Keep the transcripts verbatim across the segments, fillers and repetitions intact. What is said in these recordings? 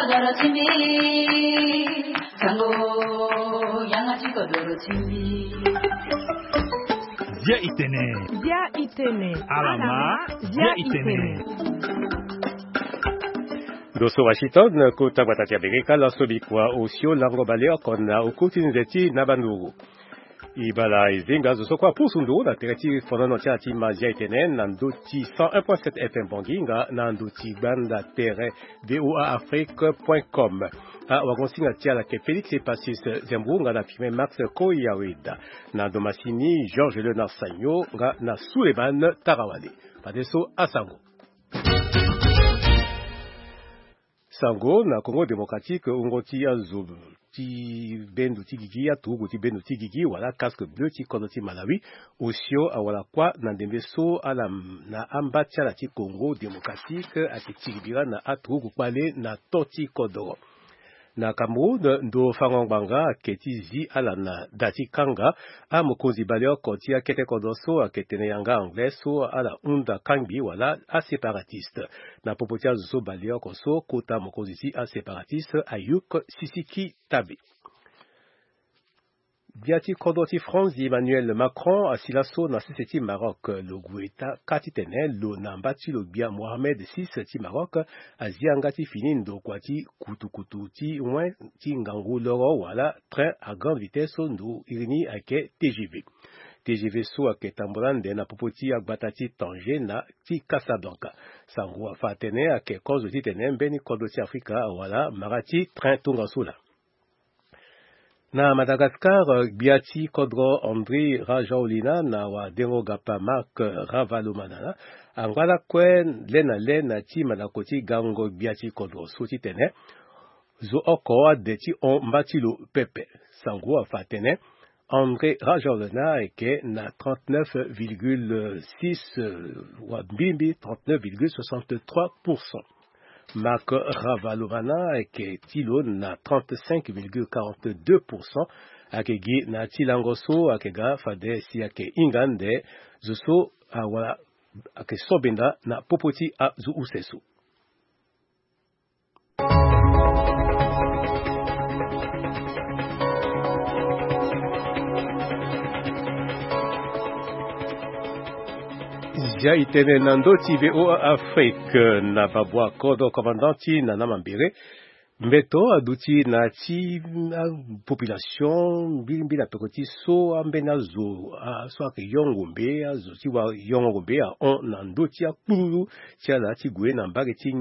Zia itene. Zia itene. Alama. Zia itene. Ndo so Washington, kota gbata ti Amerika, laso bikua osio lango baleoko na okuti nze ti na banduru. Ibala ezenga zo so kue apusu nduru na tere ti fonono ti ala ti ma Zia itene na ndo ti cent un point sept F M Bangui nga na ndo ti gbanda tere V O A Afrique point com. Awagonsinga ti ala ke Félix Epasis Zembrou nga na Firmin Max Koyaweda, na ndo masini Georges Léonard Sagno nga na Souleymane Tarawale. Fadeso asango. Sango na Congo Démocratique, wungo ti azo ti bendo ti gigi, aturugu ti bendo ti gigi wala casque bleu ti kodro ti Malawi, osio awara kuâ na ndembe so ala na amba ti ala ti Congo Démocratique ayeke tiri bira na aturugu kpale na to ti kodro. Na Cameroun, ndo fango ngbanga ayeke ti zi ala na da ti kanga amokonzi baleoko ti akete kodro so ayeke tene yanga anglais so ala hunda kangbi wala aséparatiste. Na popo ti azo so baleoko so, kota mokonzi ti aséparatiste Ayouk Sisiki Tabe. Gbia ti kodro ti France, Emmanuel Macron, asi laso na sese ti Maroc. Lo gue ta ka titene lo na mba ti lo gbia Mohamed six ti Maroc azi yanga ti fini ndokua ti kutukutu ti wen ti ngangu loro wala train à grande vitesse so ndo iri ni ayeke T G V. T G V so ayeke tambula ande na popo ti agbata ti Tanger na ti Casablanca. Sango afa atene ayeke kozo titene mbeni kodro ti Afrika awara mara ti train tongaso laa. Na Madagascar, gbia ti kodro André Rajoelina na wadengo gapa Marc Ravalomanana angba lakue le na le na ti mandako ti gango gbia ti kodro so titene zo oko ade ti hon mba ti lo pepe. Sango afa atene André Rajoelina ayeke na trente-neuf virgule six, euh, wa mbimbi trente-neuf virgule soixante-trois pour cent. Marc Ravalomanana ayeke ti lo na trente-cinq virgule quarante-deux pour cent. Ayeke gi na ti lango so ayeke ga fade si ayeke hinga ande zo so awara ayeke so benda na popo ti azo use so. Zia itene na ndo ti V O A Afrique. Na babua kodro commandant ti Nana Mambere, mbeto aduti na ti, ah, population mbilimbili na peko ti so ambeni azo, ah, so ayeke yongo mbe, azo ti wa yongo mbe ahon na ndö ti akpululu ti ala ti gue na mbage ti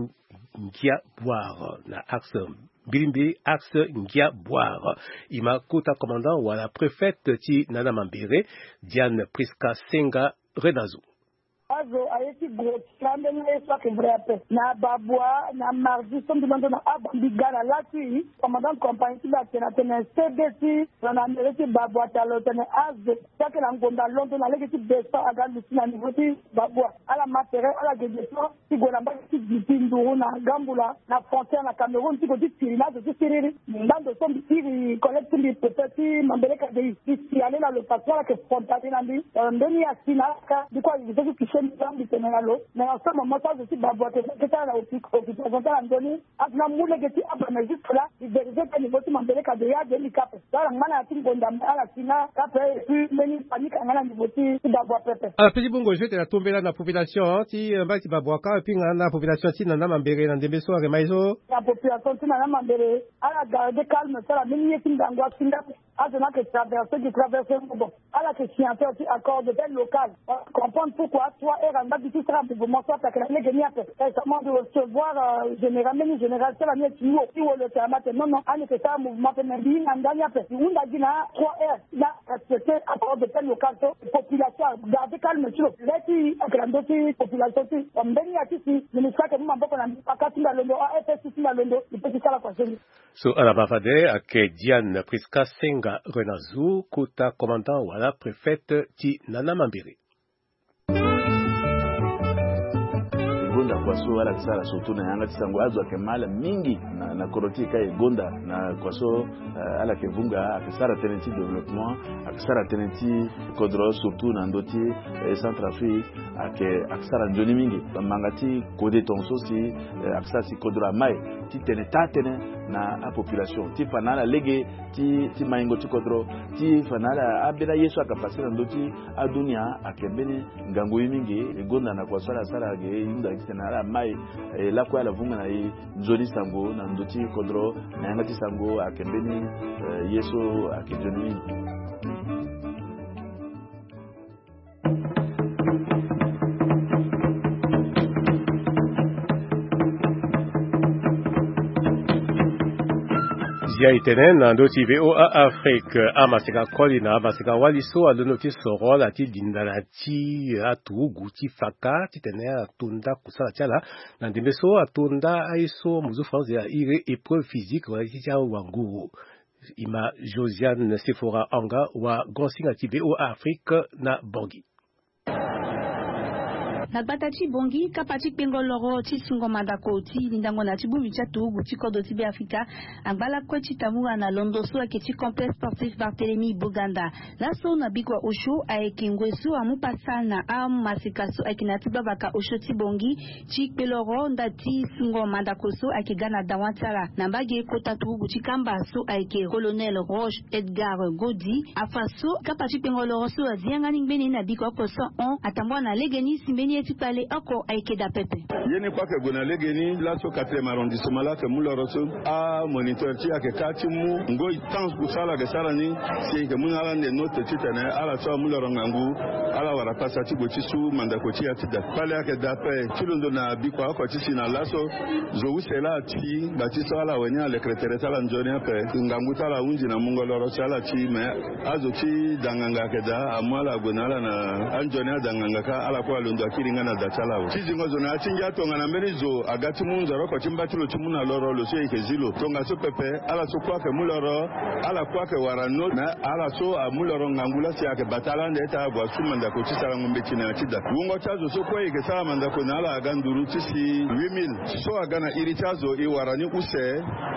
Ngia Boire na axe mbilimbili axe Ngia Boire. E ma kota commandant wala préfète ti Nana Mambere, Diane Prisca Senga Renazo. Azo aye ti gro ti la ambeni aye so ayeke vrai ape. Na babua na mardi so mbi londo na abambi ga na lâ ti commandant compagnie ti mbi atene atene C D ti na na mairie ti babua ti alo tene azo ti ayeke na ngonda londo na lege ti beso aga luti na niveau ti babua. Ala ma tere ala gege so ti gue na mbage ti gi ti nduru na Gambula na frontière na Cameroun ti gue ti tiri na azo ti siriri. Nda ndo so mbi iri collègue ti mbi pepe ti Mambere K D I. Mbi si ale na lo parce que ala yeke frontalier na mbi. Euh, mbeni asi na ala ka mbi kue ayeke so ti touché mbi so mbi tene na lo. Mais en ce moment so azo ti babua ayeke kete ala na occupation ti ala na ndö ni. Azo ni amu lege ti aba mais jusque là mbi vérifié tene niveau ti Mambere K D I ade mbi kape. So ala ngba na ya ti ngonda mais ala si nga kape et puis mbeni panique anga na niveau ti babua pepe. Ala peti bongo zo tene atombela na population ti, eh, mbage ti babua ka et puis nga na population ti Nana Mambere na ndembe so ayeke ma ye so. Na population ti Nana Mambere ala garde calme so ala mbeni ye ti ngangu asi nga. Azo ni ayeke traversé gi traversé ngo bon. Ala yeke signateur ti accord de paix local. Comprendre pourquoi trois heures anga gi ti sara mouvement so ape ayeke na lege ni ape. Récemment de recevoir, euh, général, mbeni général so ala ni ti wo ti wo lo tene ma tene non non ani yeke sara mouvement ape mais mbi hinga ndani ape mbi hunda gi na trois heures. Na respecté accord de paix local so population agarde calme ti lo. Le ti ayeke na ndö ti population ti mbeni ya ti si ministre ayeke mu maboko na mbi paka ti mbi alondo, A F S ti mbi alondo mbi pe ti sara kua so ni. So ala ma fade ayeke Diane Prisca Senga Renazo, kota commandant wala préfète ti Nana Mambere. Kua so ala yeke sara surtout na yanga ti sango, azo ayeke ma ala mingi na, na kodro ti e ka e gonda na kua so, eh, ala yeke vunga, ayeke sara tënë ti développement, ayeke sara tënë ti kodro surtout na ndö ti, eh, Centrafrique, ayeke, ayeke sara nzoni mingi. Manga ti kode tongaso si, eh, ayeke sara si kodro amai ti tene taa-tënë na apopulation ti fa na ala lege ti, ti maingo ti kodro, ti fa na ala ambeni aye so ayeke pase na ndö ti adunia, ayeke mbeni ngangu ye mingi. E gonda na kua so ala sara ge, e hunda titene ala mai, eh, lakue ala vunga na e nzoni sango na ndö ti kodro, na yanga ti sango ayeke mbeni, eh, ye so ayeke nzoni mingi. Zia e tene na ndö ti VOA Afrique, amaseka koli na amaseka wali so alondo ti soro ala ti linda na ti aturugu ti faka titene ala to nda kusala ti ala. Na ndembe so ato nda aye so muzu France a iri épreuve physique wala ti ti awanguru. E ma Josiane Sephora Anga wa gonsinga ti VOA Afrique na Bangui. Na gbata ti Bangui, kapa ti kpengo loro ti sungo mandako ti lindango na ti bongbi ti aturugu ti kodro ti Beafrika angba lakue ti tambula na londo so ayeke ti complexe sportif Barthélemy Boganda. Laso na bikua osio ayeke ngoi so amu pasa na amaseka so ayeke na ya ti gbavaka osio ti Bangui ti kpe loro nda ti sungo mandako so ayeke ga na dawa ti ala na mbage kota turugu ti kamba so ayeke colonel Roche Edgar Godi. Afa so kapa ti kpengo loro so azi yanga ni ngbene na bikua oko so ahon atambua na legeni si mbeni ye ti kpale oko ayeke daa pepe. Ye ni kue ayeke gue na legeni laso quatrième arrondissement laa ayeke mu loro so amoniteur ti e ayeke ka ti mu ngoi temps kusala ayeke sara ni si e yeke mu na ala ande note titene ala so amu loro ngangu ala wara pasa ti gue ti su mandako ti e ya ti daa. Kpale ayeke daa ape ti londo na bikua oko ti si na laso zo use laa ati ngba ti so ala awe ni alekere tere ti ala nzoni ape. Ngangu ti ala ahunzi na mungo loro si ala ti me azo ti da nganga ayeke daa amu ala ague na ala na anzoni ada nganga kâ ala kue alondo akiri nga na da ti ala awe. Ti zingo zo na ya ti ngia tongana mbeni zo aga ti mu nzoro oko ti mba ti lo ti mu na loro lo so e yeke zi lo tongaso pepe ala so kue ayeke mu loro ala kue ayeke wara no me ala so amu loro ngangu laa si ayeke bata ala ande ti ague asu mandako ti sarango mbeti na ya ti da. Wungo ti azo so kue e yeke sara mandako na ala aga nduru ti si huit mille so aga na iri ti azo e wara ni use.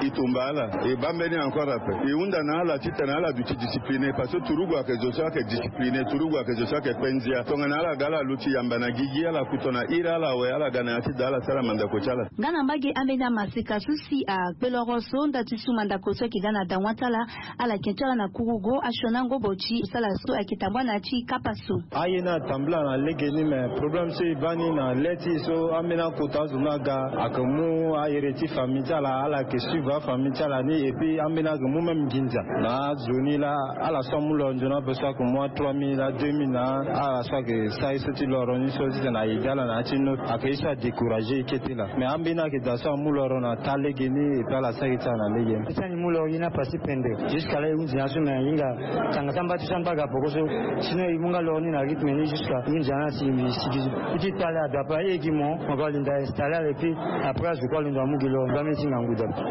E tumba ala e baa mbeni encore ape e hunda na ala titene ala duti discipline parce que turugu ayeke zo so ayeke discipline, turugu ayeke zo so ayeke kpe ndia. Tongana ala ga ala luti yamba na gigi ala kuto na iri ala awe ala ga na ya ti da ala sara mandako ti ala. Nga na mbage ambeni amaseka so si akpe loro so nda ti su mandako so ayeke ga na dawa ti ala ala yeke ti ala na kurugo asioni angobo ti sala so ayeke tambua na ya ti kapa so. Aye ni atambula na legeni me problème so e baa ni na le ti e so ambeni akota azo ni aga ayeke mu ahere ti famille ti ala ala yeke suivre afamille ti ala ni et puis ambeni ayeke mu même nginza na azo ni laa ala so amu loro nzoni ape so ayeke mu a trois mille a deux mille na ala so ayeke sara ye so ti loro ni so titene a aidé ala na ya ti note ayeke ye so adécouragé e kete laa. Mais ambeni ayeke daa so amu loro na taa legeni et puis ala sara ye ti ala na legeni. Ti ani mu loro ye ni apase pende. Jusqu'à là e hunzi na so me ahinga tanga ti amba ti so amba aga poko so. Sinon e mu nga loro ni na rythme ni jusqu'à e hunzi na si e sigi so. E ti kpale adape aye gi mo mo ga linda installé ala et puis après azo kue alondo amu gi loro nga mbeni ti ngangu dape.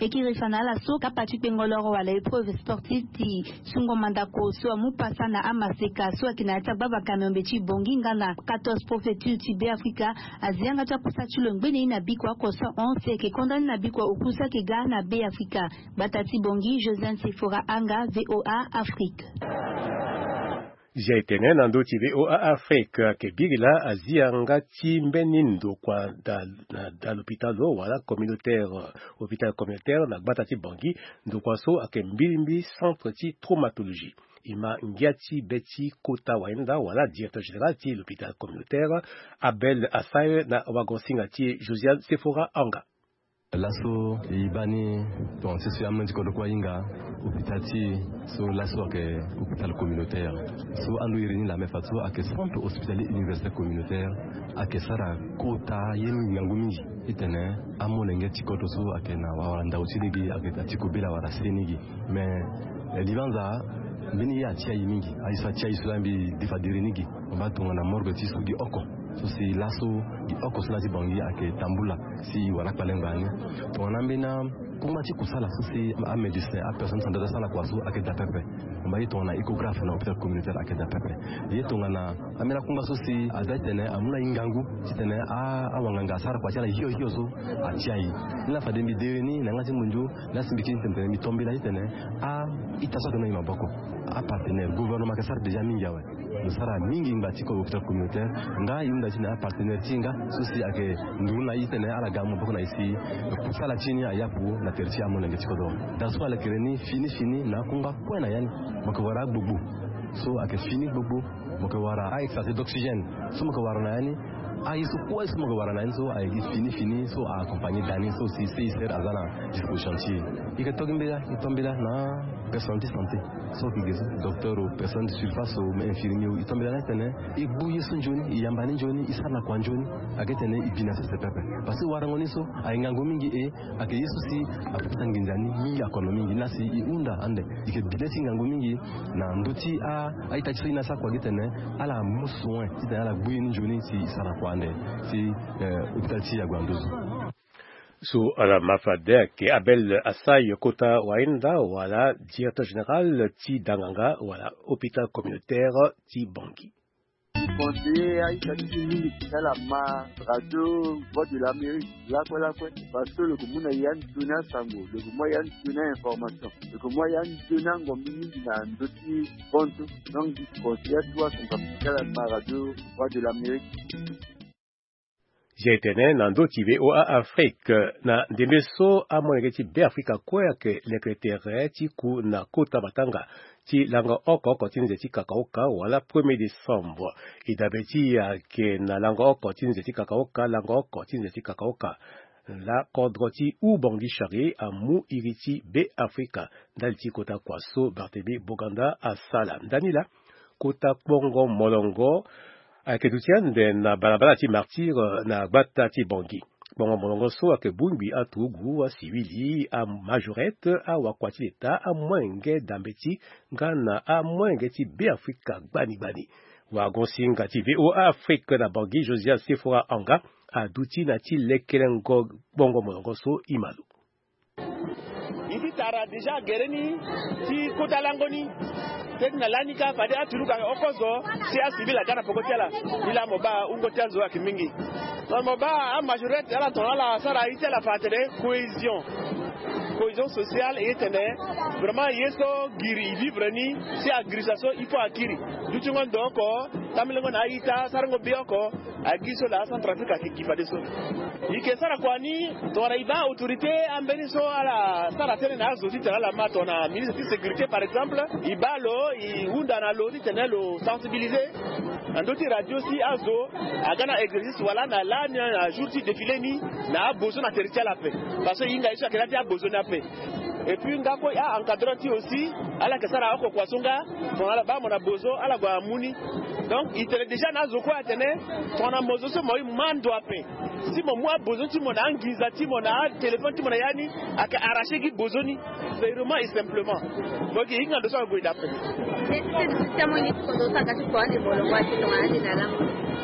E kiri fa na ala so kapa ti kpengo loro wala épreuve sportive ti sungo mandako so amu pasa na amaseka so ayeke na ya ti agbavaka miombe ti Bangui nga na quatorze préfecture ti Beafrika azi yanga ti akusa ti lo ngbene ye na bikua oko so ahon si ayeke konda ni na bikua oku so ayeke ga na Beafrika. Gbata ti Bangui, Josiane Sephora Anga, VOA Afrique. Zia e tene na ndö ti VOA Afrique ayeke biri laa azi yanga ti mbeni ndokua da na da lopitalo wala communautaire, hôpital communautaire na gbata ti Bangui. Ndokua so ayeke mbirimbi centre ti traumatologie. E ma ngia ti be ti kota wahinda wala directeur général ti lopitalo communautaire Abel Assaye na wagonsinga ti e Josiane Sephora Anga. Laso e baa ni tonga ti so e amolenge ti kodro kue ahinga hôpital ti e so laso ayeke hôpital communautaire so ando iri ni laa me fa so ayeke centre hospitalier universitaire communautaire. Ayeke sara kota ye mingi ngangu mingi titene amolenge ti kodro so ayeke na wawara ndau ti lege ayeke daa ti kobela wala seni gi. Me libanza mbeni ye atia e mingi aye so atia e so laa mbi defa diri ni gi. Mo baa tongana morgue ti so gi oko so si laso gi oko so laa ti Bangui ayeke tambula. Si wala kpale ngba ni tongana mbeni akungba ti kusala so si amédecin apersonne santé asara na kua so ayeke daa pepe. Mba ye tongana échographe na hôpital communautaire ayeke daa pepe. Ye tongana ambeni akungba so si aza titene amu na e ngangu titene awanganga asara kua ti ala hio hio so atia e. Ni laa fade mbi dere ni na yanga ti munzu. Ni laa si mbi kiri titene mbi to mbela titene a-ita so ayeke na e maboko, apartenaire gouvernement ayeke sara déjà mingi awe. Lo sara mingi ngba ti hôpital communautaire. Nga e hunda ti na apartenaire ti e nga so si ayeke nduru na e titene ala ga amu maboko na e si kusala ti ni ayapu na tere ti amolenge ti kodro. Daa so alekere ni fini fini na akungba kue na ya ni. Mo yeke wara agbogbo so ayeke fini gbogbo. Mo yeke wara a-extrater d'oxygène so mo yeke wara na ya ni. Aye so kue so mo yeke wara na ya ni so ayeke gi fini fini so a-accompagner daa ni so si C I C R aza na disposition ti e. E yeke to gi mbela e to mbela na personne ti santé so yeke ge so, docteur o, personne de surface o, infirmier o, e to mbela na e titene e gbu ye so nzoni, e yamba ni nzoni, e sara na kua nzoni. Ayeke titene e bi na sese pepe. Parce que warango ni so ayeke ngangu mingi e ayeke ye so si apekisa nginza ni mingi, akono mingi. Ni laa si e hunda ande e yeke bi le ti ngangu mingi na ndö ti a-ita ti so e na sara kua gi titene ala mu soin titene ala gbu ye ni nzoni si e sara na kua ande ti hôpital ti Yagoua Nduzu. So ala ma fade ayeke Abel Assaye kota wahinda wala directeur général ti danganga wala hôpital communautaire ti Bangui. Conseiller a-ita ti e mingi ti ala ma radio Voix de l'Amérique lakue lakue. Parce que lo yeke mu na e ya nzoni asango, lo yeke mu a ya nzoni a-information, lo yeke mu a ya nzoni angombi mingi na ndö ti hon so. Donc mbi conseiller atuwa asango ti ala ma radio Voix de l'Amérique. Zia e tene na ndö ti V O A Afrique na ndembe so amolenge ti Beafrika kue ayeke leke tere ti ku na kota matanga ti lango oko oko ti nze ti kakaoka wala premier décembre. E dabe ti e ayeke na lango oko ti nze ti kakaoka, lango oko ti nze ti kakaoka. Laa kodro ti Oubangui Chari amu iri ti Beafrika ndali ti kota kua so Barthélemy Boganda asara. Ndani laa kota kpongo molongo ayeke duti ande na balabala ti Martyr na gbata ti Bangui. Kpongo molongo so ayeke bongbi aturugu, asiwili, amajorette, awakua ti leta, amolenge dambeti nga na amolenge ti Beafrika gbani gbani. Wagon-singa ti V O A Afrique na Bangui, Josias Sefora Anga, aduti na ti lekelengo kpongo molongo so e ma lo. E ti tara déjà gere ni ti kota lango ni. Teti na lani kâ fade aturugu ayeke oko zo, si asivil aga na peko ti ala. Ni laa mo baa wungo ti azo ayeke mingi. Tongana mo baa amajorette ala tongana ala sara aye ti ala fa atene cohésion, cohésion sociale, e tene vraiment ye so giri e vivre ni, si agirisa so il faut akiri. Dutingo ndo oko, tambelengo na a-ita, sarango be oko. Agi so laa Centrafrique ayeke gi fadeso. E yeke sara kua ni tongana e baa autorité ambeni so ala sara tënë na azo titene ala ma tongana ministre ti sécurité par exemple, e baa lo, e hunda na lo titene lo sensibiliser. Na ndö ti radio si azo aga na exercice wala na lani na jour ti défilé ni, na abozo na tere ti ala ape. Parce que e hinga ye so ayeke na ya ti abozo ni ape. Et puis nga kue a-encadreur ti e aussi, ala yeke sara oko kua so nga, tongana ala baa mo na bozo ala gue amu ni. Donc e tene déjà na azo kue atene tongana mo zo so mo ye mo ma ndo ape, si mo mu abozo ti mo na anginza ti mo na atéléphone ti mo na ya ni, ayeke arracher gi bozo ni. Purement et simplement. Mo yeke hinga ndo so ague dape.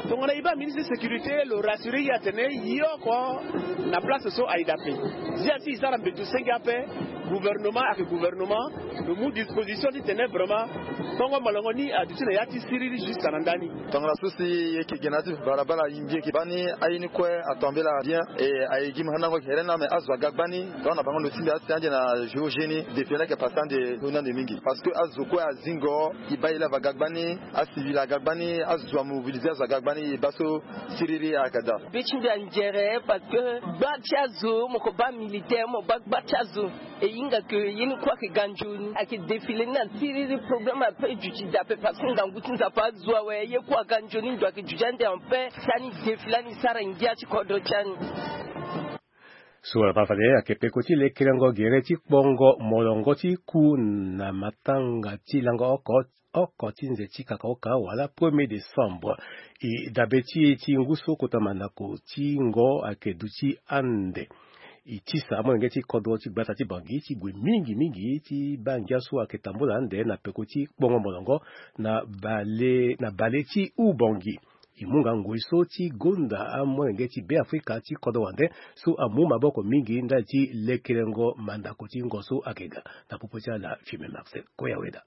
Tongana e baa ministre de sécurité lo rassurer e atene ye oko na place so aye dape. Zia si e sara mbeto senge ape. Gouvernement ayeke gouvernement, lo mu disposition titene vraiment kpongo molongo ni aduti na ya ti siriri jusqu'à na ndani. Tongana so si e yeke ge na ya ti balabala, e mbi yeke baa ni aye ni kue atombela bien. E aye gi mo handango gere ni la, me azo aga gbani. Donc na bango ndo ti mbi asi ande na jour J ni, défilé ni ayeke passé ande, ndo ni ande mingi parce que azo kue azingo. E baa e lave aga gbani, asivil aga gbani, azo amobilisé, azo aga gbani, e baa so siriri ayeke daa. Be ti mbi anzere parce que gba ti azo, mo ko baa militaire, mo baa gba ti azo. E hinga ke ye ni kue ayeke ga nzoni. Ayeke défilé ni na siriri, problème ape e duti daa ape parce que ngangu ti Nzapa azo awe, ye kue aga nzoni, ndo ayeke duti ande en paix. Si ani défilé ani sara ngia ti kodro ti ani. So wala ma fade ayeke peko ti lekelengo gere ti kpongo molongo ti ku na matanga ti lango oko, oko ti nze ti kakaoka wala premier décembre. E dabe ti e ti ngu so kota mandako ti ngo ayeke duti ande. E tisa amolenge ti kodro ti gbata ti Bangui ti gue mingi mingi ti baa ngia so ayeke tambula ande na peko ti kpongo molongo na bale, na bale ti Oubangui. E mu nga ngoi so ti gonda amolenge ti Beafrika ti kodro wande so amu maboko mingi ndali ti lekelengo mandako ti ngo so ayeke ga. Na popo ti ala, Firmin Marcel Koyaweda.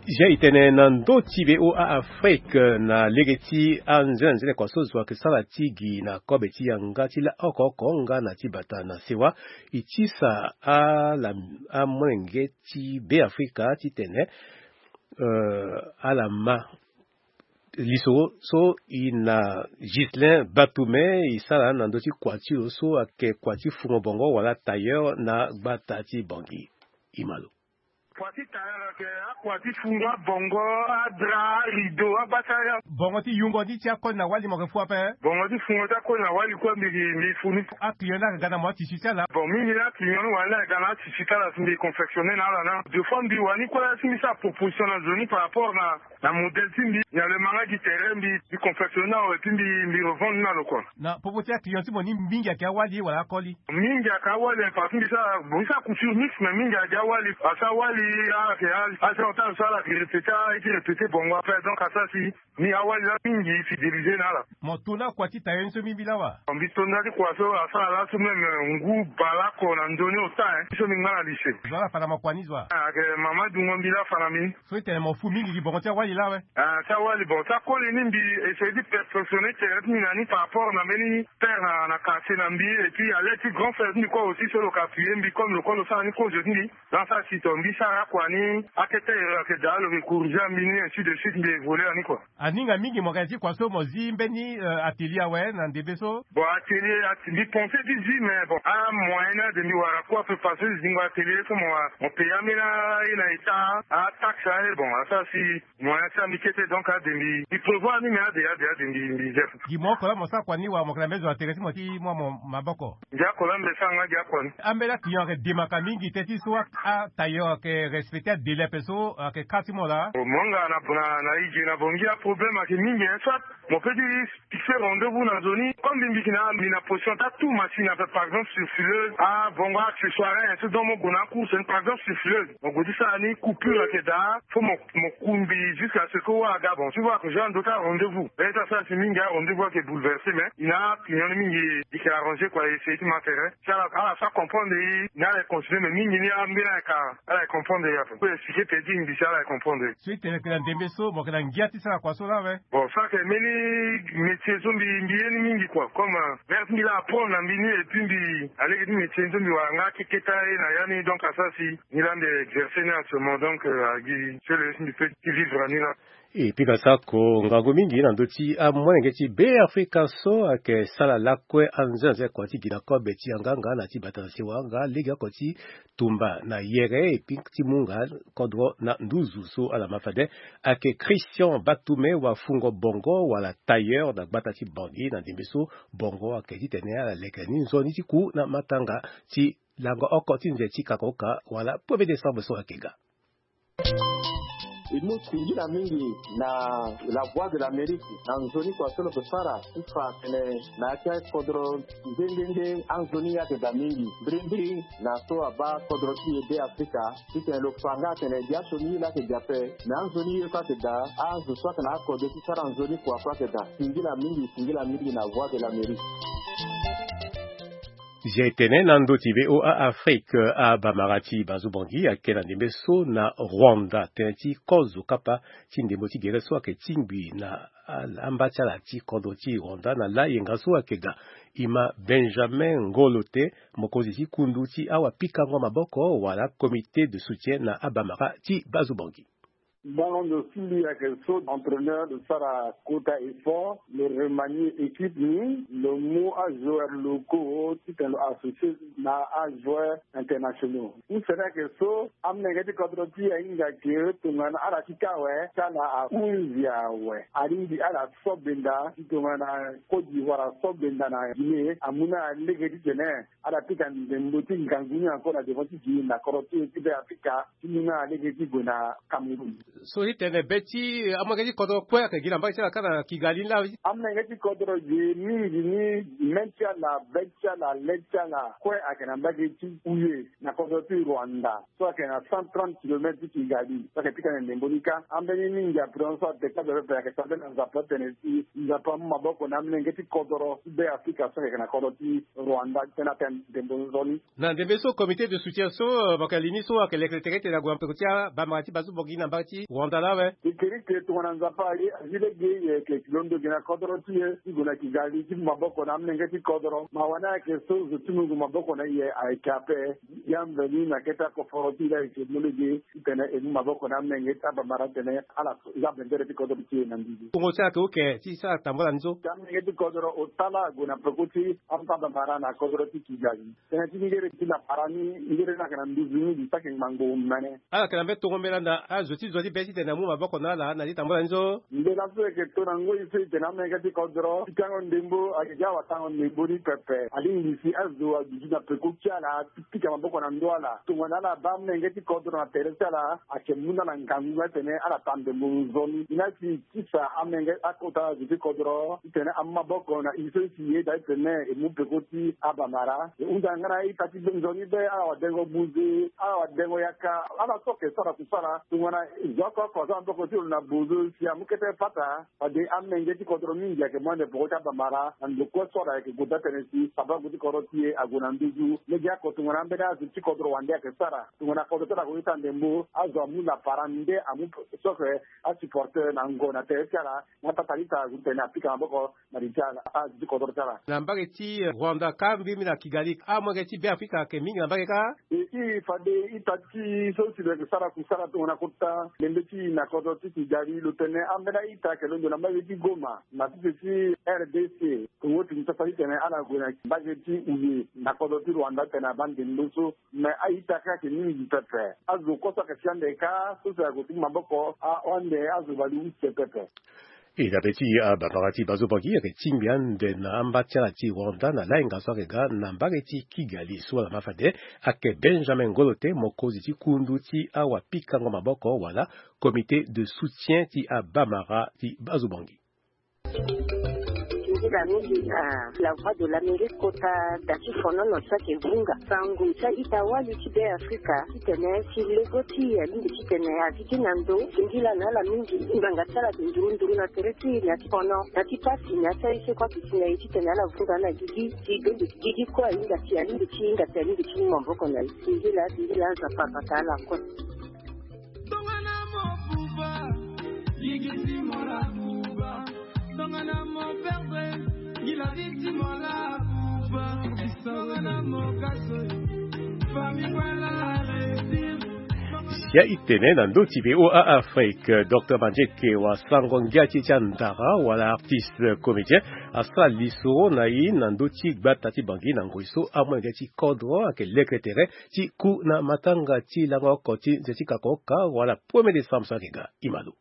Zia e tene na ndö ti V O A Afrique, na lege ti anzenanzene kua so zo ayeke sara ti gi na kobe ti yanga ti la oko oko nga na ti bata na sewa, e tisa ala amolenge ti Beafrika titene, euh, ala ma lisoro so e na Ghislain Batume e sara na ndö ti kua ti lo so ayeke kua ti fungo bongo wala tailleur na gbata ti Bangui. E ma lo. Kua ti tailleur ayeke akua ti fungo abongo, adra, arideau, agbata ya. Bongo ti yungo ni ti akoli na wali mo yeke fu ape? Bongo ti fungo ti akoli na wali kue mbi, mbi fu ni. Aclient ni ayeke ga na mo atisi ti ala? Bon, mingi ni aclient ni wala ni ayeke ga na atisi ti ala si mbi confectionner na ala na. Deux fois mbi wani kue si mbi sara proposition na zo ni par rapport na na modèle ti mbi, na le manga gi terrain mbi, mbi confectionner na awe ti mbi, mbi revendre na lo kua. Na popo ti aclient ti mo ni mingi ayeke awali wala akoli? Mingi ayeke awali, parce que mbi sara, mbi sara couture mixte, mais mingi ayeke awali. Parce que awali, ala yeke a, a sara ota so ala yeke répéter, a ye ti répéter bongo après, donc asara si ni awali la mingi fidéliser na ala. Mo to na kua ti tailleur ni so mingi laa wa? Mbi to na ti kua so asara laso même, euh, ngu bale oko na ndö ni ota, hein, so mbi ngba na lycée. Zo ala fa na mo kua ni zo wa? Ah, ayeke mama dungo mbi laa fa na mbi. So e tene mo fu mingi gi bongo ti awali laa awe? Ah, ti awali, bon, ti akoli ni mbi essayer ti perfectionner tere ti mbi na ni par rapport na mbeni père na, na quartier na mbi, et puis à l'aide ti grand frère ti mbi kue aussi so lo yeke appuyer mbi comme lo kue lo sara ni kozo ti mbi. Donc asara si to mbi sara akua ni, akete ere ayeke daa lo yeke corriger mbi ni, ainsi de suite, mbi évoluer na ni quoi. Aninga mingi mo yeke na ya ti kua so mo zi mbeni, euh, atelier awe na ndembe so? Bon, atelier, at-, mbi pensé ti zi, mais bon, amoyen ni ade mbi wara kue ape parce que zingo atelier so mo, mo payer ambeni aye na état, ataxe aye, bon, asara si moyen ti mbi kete, donc ade mbi, mbi prévoir ni, mais ade, ade, ade mbi, mbi zi ape. Gi mo oko laa mo sara kua ni wala mo yeke na mbeni zo atelier ti mo ti mu amo maboko? Gi oko laa mbi sara nga gi akua ni. Ambeni aclient ayeke demaka mingi teti so a, atailleur ayeke respecter adélai ape so ayeke kâ ti mo laa? Mo nga na, na, na e ge na Bangui, aproblème ayeke mingi, hein, soit mo peut ti fixer rendez-vous na nzoni, comme mbi, mbi yeke na, mbi na position ti atu machine ape, par exemple sur fileuse, abongo accessoire, hein, so donc mo gue na acourse ni, par exemple sur fileuse, mo gue ti sara ni, coupure ayeke daa, faut mo, mo kumbi jusqu'à ce que wâ aga. Bon, si wâ ayeke joindre ndo ti arendez-vous, peut-être asara si mingi arendez-vous ayeke bouleversé, mais e na client ni mingi, e yeke arrangé quoi, e essayer ti ma tere. Si ala, ala sara comprendre e, ni ala e continuer, mais mingi ni ambeni ala yeke, ala e comprendre e ape. Mbi peut expliquer peut-être e ngbisi ala e comprendre e. So e tene ayeke na ndembe so mo yeke na ngia ti sara kua so laa awe? Bon, so ayeke mbeni métier so mbi, mbi ye ni mingi quoi. Comme, euh, mère ti mbi laa apprendre na mbi ni, et puis mbi, alege ti métier ni so mbi wara nga akeketa ye na ya ni, donc asara si ni laa mbi exercer ni actuellement, donc, euh, agi so le si mbi peut ti vivre na ni laa. E pika sako ngangu mingi na ndö ti amolenge ti Beafrika so ayeke sala lakue anzenanzene kua ti gi na kobe ti yanga nga na ti bata na sewa nga legeoko ti tumba na yere e pika ti mu nga kodro na nduzu so ala ma fade. Ayeke Christian Batume wafungo bongo wala tailleur na gbata ti Bangui na ndembe so bongo ayeke titene ala leke ni nzoni ti ku na matanga ti lango oko ti nze ti kakoka wala premier décembre so ayeke ga. E mu singila mingi na La Voix de l'Amérique na nzoni kua so lo yeke sara ti fa atene na ya ti akodro nde nde nde anzoni ye ayeke daa mingi. Mbirimbiri na so abaa kodro ti e Beafrika titene lo fa nga atene biaso ni ye laa ayeke daa ape, me anzoni ye kue ayeke daa, azo so ayeke na akode ti sara nzoni kua kue ayeke daa. Singila mingi, singila mingi na Voix de l'Amérique. Zia e tene na ndö ti V O A Afrique, abamara ti Bazubangi ayeke na ndembe so na Rwanda, tënë ti kozo kapa ti ndembo ti gere so ayeke tingbi na a, amba ti ala ti kodro ti Rwanda na layenga so ayeke ga. E ma Benjamin Ngolote, mokonzi ti kundu ti awapikango maboko wala comité de soutien na abamara ti Bazubangi. Bango ndo si mbi ayeke so entraîneur lo sara kota effort, lo remanier équipe ni, lo mu ajoueur locaux titene lo associer na ajoueur internationaux. Husene ayeke so, amolenge ti kodro ti e ahinga ke tongana ala ti kâ awe ti ala ahunzi awe. Alingbi ala so benda ti tongana Côte d'Ivoire aso benda na Guinée, amu na ala lege titene ala pika ndembo ti ngangu ni encore na devant ti gi na kodro ti e ti Beafrika ti mu na ala lege ti gue na Cameroun. So ti tene be ti amolenge ti kodro kue ayeke gi na mbage ti ala kâ na Kigali laa. Amolenge ti kodro gi mingi ni, mê ti ala, be ti ala, le ti ala kue ayeke na mbage ti Uye na kodro ti Rwanda, so ayeke na cent trente kilomètres ti Kigali, so ayeke pika na ndembo ni kâ. Ambeni mingi ape so ateka be pepe ayeke sara be na Nzapa tene si Nzapa amu maboko na amolenge ti kodro ti Be Afrika so ayeke na kodro ti Rwanda tënë atene ndembo nzoni. Na ndembe so comité de soutien so, euh, mo yeke li ni so ayeke lekere tere ti tene ague na peko ti abamara ti Bazu Bangui na mbage ti Rwanda laa awe. E kiri ke tongana Nzapa aye azi lege e yeke londo gi na kodro ti e ti gue na Kigali ti mu maboko na amolenge ti kodro. Mawa ni ayeke so zo ti mu gue maboko na e ayeke ape. Ya mveni na kete akoforo ti e laa e yeke mu lege ti tene e mu maboko na amolenge ti abamara tene ala za bendere ti kodro ti e na mbi. Tongo ti ayeke oke ti sara tambula ni so. Ti amolenge ti kodro ota laa ague na peko ti abamara na kodro ti Kigali. Tënë ti ngere ti lapara ni, ngere ni ayeke na nduzu mingi, so ayeke ngbangbo mene. Ala yeke na mbeni tongo mbela na azo ti zo ti be ti tene amu maboko na ala na li tambula ni so. Mbela so e yeke to na ngoi so e tene amolenge ti kodro ti pikango ndembo ayeke gi awatango ndembo ni pepe. Alingbi si azo aduti na peko ti ala ti pika maboko na ndö ala. Tongana ala baa amolenge ti kodro na tere ti ala, ayeke mu na ala ngangu nga tene ala taa ndembo nzoni. Ni la si tisa amolenge akota azo ti kodro ti tene amu maboko na e so e si e daa ti tene e mu peko ti abamara. E hunda nga na a-ita ti be nzoni be, ala wadengo buze, ala wadengo yaka, ala so ayeke sara kusala. Tongana zo oko oko aza na maboko ti lo na buze si amu kete pata. Fade amolenge ti kodro mingi ayeke mu ande peko ti abamara na ndo kue so ala yeke gue daa tënë si sababu ti kodro ti e ague na nduzu. Lege oko tongana ambeni azo ti kodro wande ayeke sara. Tongana kodro ti ala ague ti taa ndembo, azo amu lapara nde amu so ayeke asupporter na ngo na tere ti ala. Nga tata lita ague ti tene apika maboko na li ti ala, azo ti kodro ti ala. Na mbage ti Rwanda kâ, mbiri mbiri na Kigali, amolenge ti Be Afrika ayeke mingi na mbage kâ. E, i fade ita ti so si lo yeke sara kusala tongana kota ndembe ti na kodro ti Kigali, lo tene ambeni a-ita ayeke londo na mbage ti Goma na sese ti R D C. Kongo ti Kinshasa ti tene ala gue na mbage ti Uye na kodro ti Rwanda tene abaa ndembo so. Me a-ita kâ ayeke mingi pepe. Azo kue so ayeke si ande kâ so si ague ti mu maboko ahon ande azo bale use pepe. E dabe ti abamara ti Bazu Bangui ayeke tingbi ande na amba ti ala ti Rwanda na lahinga so ayeke ga na mbage ti Kigali so ala ma fade ayeke Benjamin Ngolote, mokonzi ti kundu ti awapikango maboko wala comité de soutien ti abamara ti Bazu Bangui. Nzila mingi na La Voix de l'Amérique kota da ti fonono ti ayeke vunga sango ti a-ita wali ti Be Afrika titene si lego ti e alingbi titene azi ti na ndo singila na ala mingi. Ngbanga ti ala ayeke nduru nduru na tere ti e na ti fono na ti pasi na ya ti aye so kue ayeke si na e titene ala vunga na gigi si gigi kue ahinga si alingbi ti hinga si alingbi ti mu maboko na e. Singila singila Nzapa abata ala kue. Tongana mo buba, yigi ti mo la buba. Tongana mo perdre, ngi la vie ti mo la buba. Tongana mo gaso, famille wala réussir. Sia e tene na ndö ti V O A Afrique, Docteur Mandieke wa sango ngia ti e ti andara wala artiste comédien asara lisoro na e na ndö ti gbata ti Bangui na ngoi so amolenge ti kodro ayeke lekere tere ti ku na matanga ti lango oko ti nze ti kakoroka wala premier décembre so ayeke ga. Imalo.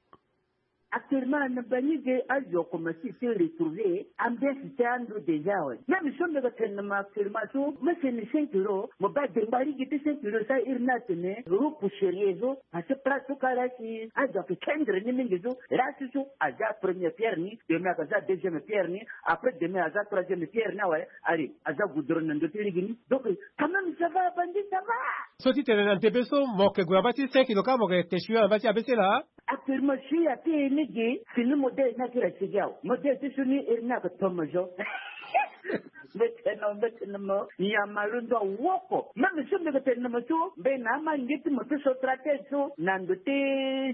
Actuellement na bangi ge azo akomanse ti retrouver ambiance ti ando déjà awe. Même so mbi yeke tene na mo actuellement so mo seni cinq kilos, mo baa dengba lege ti cinq kilos so iri ni atene groupe sérieux so. Parce que place so kâ la si azo ayeke kendre ni mingi so, la si so aza première pierre ni, demain ayeke aza deuxième pierre ni, après demain aza troisième pierre ni awe. Allez, aza goudron na ndö ti lege ni. Donc quand même ça va, abandi ça va. So ti tene na ndembe so mo yeke gue na mbage ti cinq kilos kâ mo yeke te sio na mbage ti A B C laa. Actuellement si ya ti e ni gi fini modèle ni akiri asigi awe. Modèle ti so ni iri ni ayeke tomo zo. Mbi tene mo, mbi tene mo, nyama londo awoko. Même so mbi yeke tene na mo so mbi na ama nge ti mo ti so stratège so na ndo ti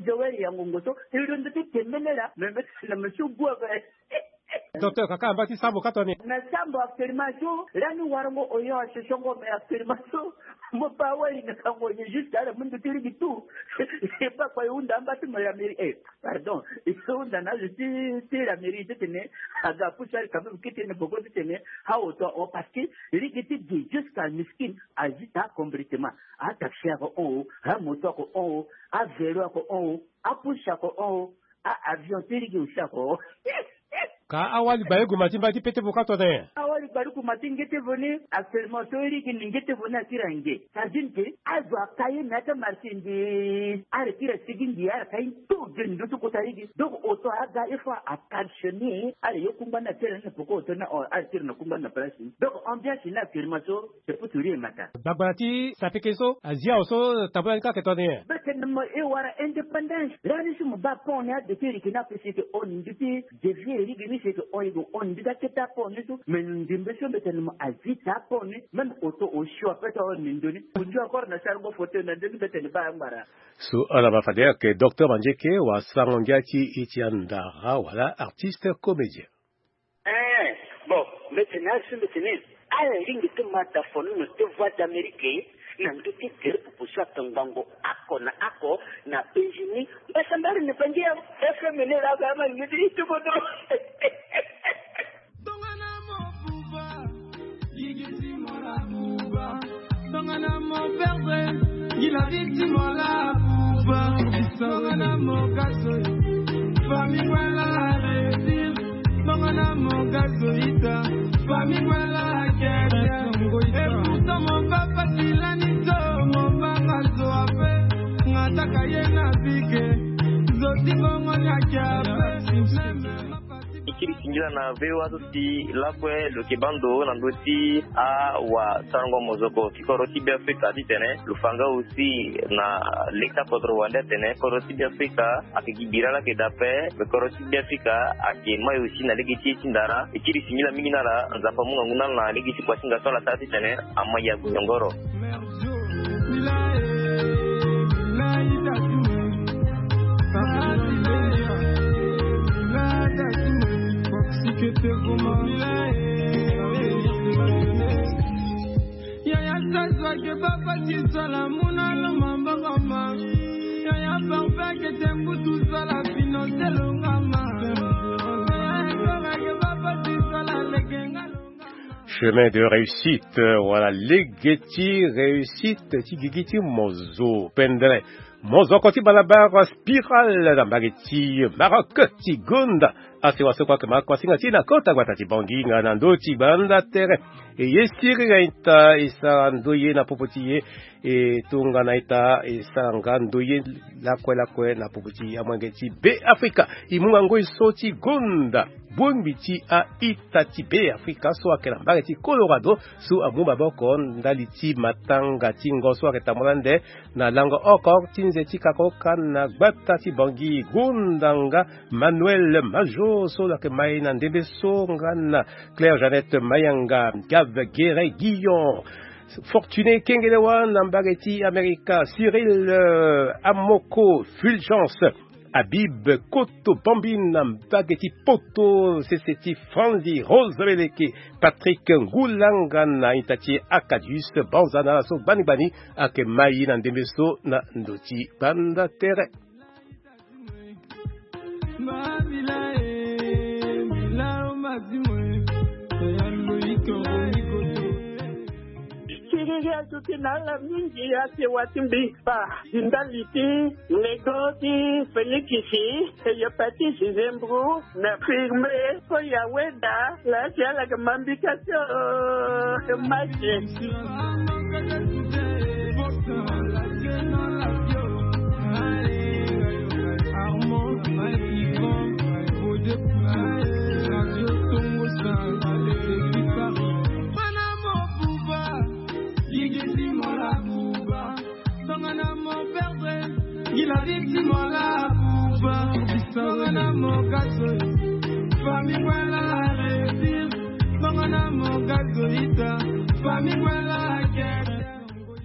Joël Yangongo so, e londo ti tembele laa. Mais mbi tene mo so gue ape. Docteur, kaka amba ti sambo ka toni. Na sambo actuellement so, lani warango oyo asosongo, mais actuellement so mo baa wali na kango ni jusqu'à la mundu ti ligi tout. E baa kua e hunda amba ti mo la mairie, eh, pardon, e hunda na azo ti, ti la mairie titene aga apusu ali quand même kete na boko titene awo to awo, parce que ligi ti gi jusqu'à miskin azi taa complètement. Ataxi ako hon o, amoto ako hon o, avélo ako hon o, apusu ako hon o, a avion ti ligi aussi ako hon o. Ka awali bayogo ma ti mba ti pete vo ka tone. Awa Gbaruku ma ti ngete voni, actuellement so iri gi ni ngete voni akiri ange. Sardine ke azo aka ye me ata marché ndi. Ara kiri asigi ndi ara ka ye nto ge ndo ti kota ye gi. Donc oto aga il faut a calchoni ara ye kungba na tere na poko oto na ara kiri na kungba na place. Donc ambiance na actuellement so c'est pour sourire mata. Bagbara ti sapeke so azia oso tabula ni kake toni. Bete na mo e wara indépendance. Rani si mo ba pon ni a de kiri kina pe si ke on ndi ti devie iri gi ni si ke on ye go on ndi ga keta pon ni so. Mais ndimbe so bete na mo azita pon ni. Même oto osio ape to on ni ndoni. Ojo akor na sar go photo na ndoni bete na ba ngbara. So ala ma fade ake docteur Mandieke wa sango ngia ti iti andara wala artiste comédien. Eh, bon, mbetene asi mbetene. Ala lingbi ti ma da fono na ti Voix d'Amérique na ndö ti tere pupu so ake ngbongo oko na oko na Benjini. Mbasambari na bangi ya F M ni la ga ma ni ti ti bodo. Tongana mo buba, yigiti mo la buba. Tongana mo perdre, gi la victime la buba. Tongana mo gaso, famille wala réussir. Tongana mo gaso ita, famille wala guerre. Et pourtant mon papa silani to, mon papa zo ape. Ngataka ye na bike, zoti bongo nya kia. Ikiri singila na V O A so si lakue lo yeke baa ndo na ndö ti awasarango mozoko ti kodro ti Beafrika titene lo fa nga aussi na leta kodro wande atene kodro ti Beafrika ayeke gi bira laa ayeke daa ape. Me kodro ti Beafrika ayeke mai aussi na lege ti ye ti ndara. Ikiri singila mingi na ala, Nzapa amu ngangu na ala na lege ti kuasinga so ala sara titene amai ague nyongoro. Yaya Sazo ake baba ti sala muna lo mamboko ma. Yaya Parfait ake te mbutu sala fino te lo nga ma. Yaya Sara ake baba ti sala leke nga lo nga ma. Chemin de réussite, euh, wala lege ti réussite ti gigi ti mozo pendere. Mozoko ti balabala Spiral na mbage ti Maroc ti gonda. Asewa so kue ayeke ma kuasinga ti e na kota gbata ti Bangui nga na ndö ti gbanda tere. E ye siriri a-ita e sara ndoye na popo ti e. E tongana a-ita e sara nga ndoye lakue lakue na popo ti amolenge ti Beafrika. E mu ngangu e so ti gonda bongbi ti a-ita ti Beafrika so ayeke na mbage ti Colorado so amu maboko ndali ti matanga ti ngo so ayeke tambula nde na lango oko ti nze ti kakoka na gbata ti Bangui. Gonda nga Manuel Majo so lo yeke mai na ndembe so nga na Claire Jeannette Mayanga, Gave Guéret Guillon, Fortuné Kengelewa na mbage ti Amerika, Cyril, euh, Amoko, Fulgence, Habib Koto Bambi na mbage ti Poto, sese ti Franzi, Rose Beleke, Patrick Ngulanga na ita ti Acadius, banza na ala so gbani gbani ayeke mai na ndembe so na ndo ti gbanda tere. Siriri azo ti na ala mingi asewa ti mbi kpa. Ndali ti lego ti Felikisi, hepatite zembro na firme so ya weda la ti ala ke mambika so. Maki. Tongana mo perdre, gi la victime la buba. Tongana mo gaso, famille wala réussir. Tongana mo gaso ita, famille wala guerre.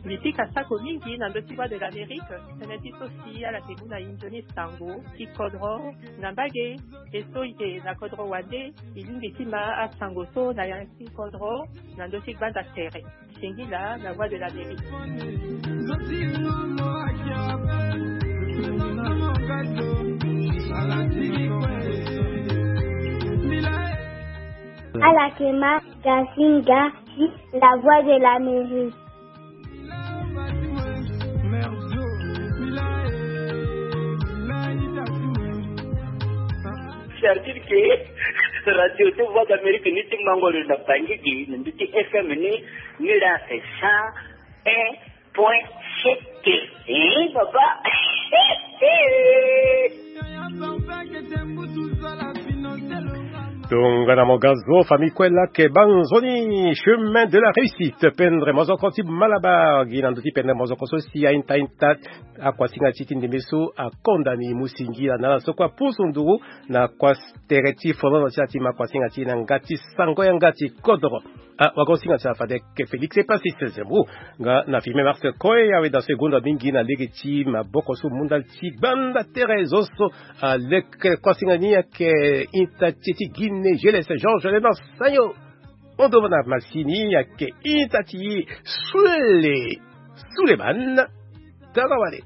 Mbi pika sako mingi na ndö ti Voix de l'Amérique. Tënë ti so si ala ke mu na e nzoni sango ti kodro na mbage. E so e yeke na kodro wande, e lingbi ti ma asango so na ya ti kodro na ndö ti gbanda tere. Singila, la Voix de l'Amérique. Ala ke ma gasinga ti la Voix de l'Amérique. C'est-à-dire que Radio ti Voix d'Amérique ni ti mango lo na Bangui gi na ndö ti F M ni. Ni laa c'est cent un point sept. Eh, papa. Tongana mo ga zo, famille kue laa, ke banzoni, chemin de la réussite. Pendre mozoko ti Malabar gi na ndö ti pendre mozoko so si ainta inta akuasinga ti ti ndembe so akonda ni musingi na ala so kue apusu nduru na kua tere ti folono ti ala ti ma kuasinga ti na nga ti sango yanga ti kodoro. Ah, wagosinga ti ala fade ke Félix Epasis Zembo. Nga na filme Marc Koe, awe da so e gonda mingi na lege ti maboko so munda ti gbanda tere zo so aleke kuasinga ni ayeke inta ti e ti Guinée, G L S Georges Lénard Sagno. Ondo na masini ayeke inta ti e Soulé Souleymane Tarawale.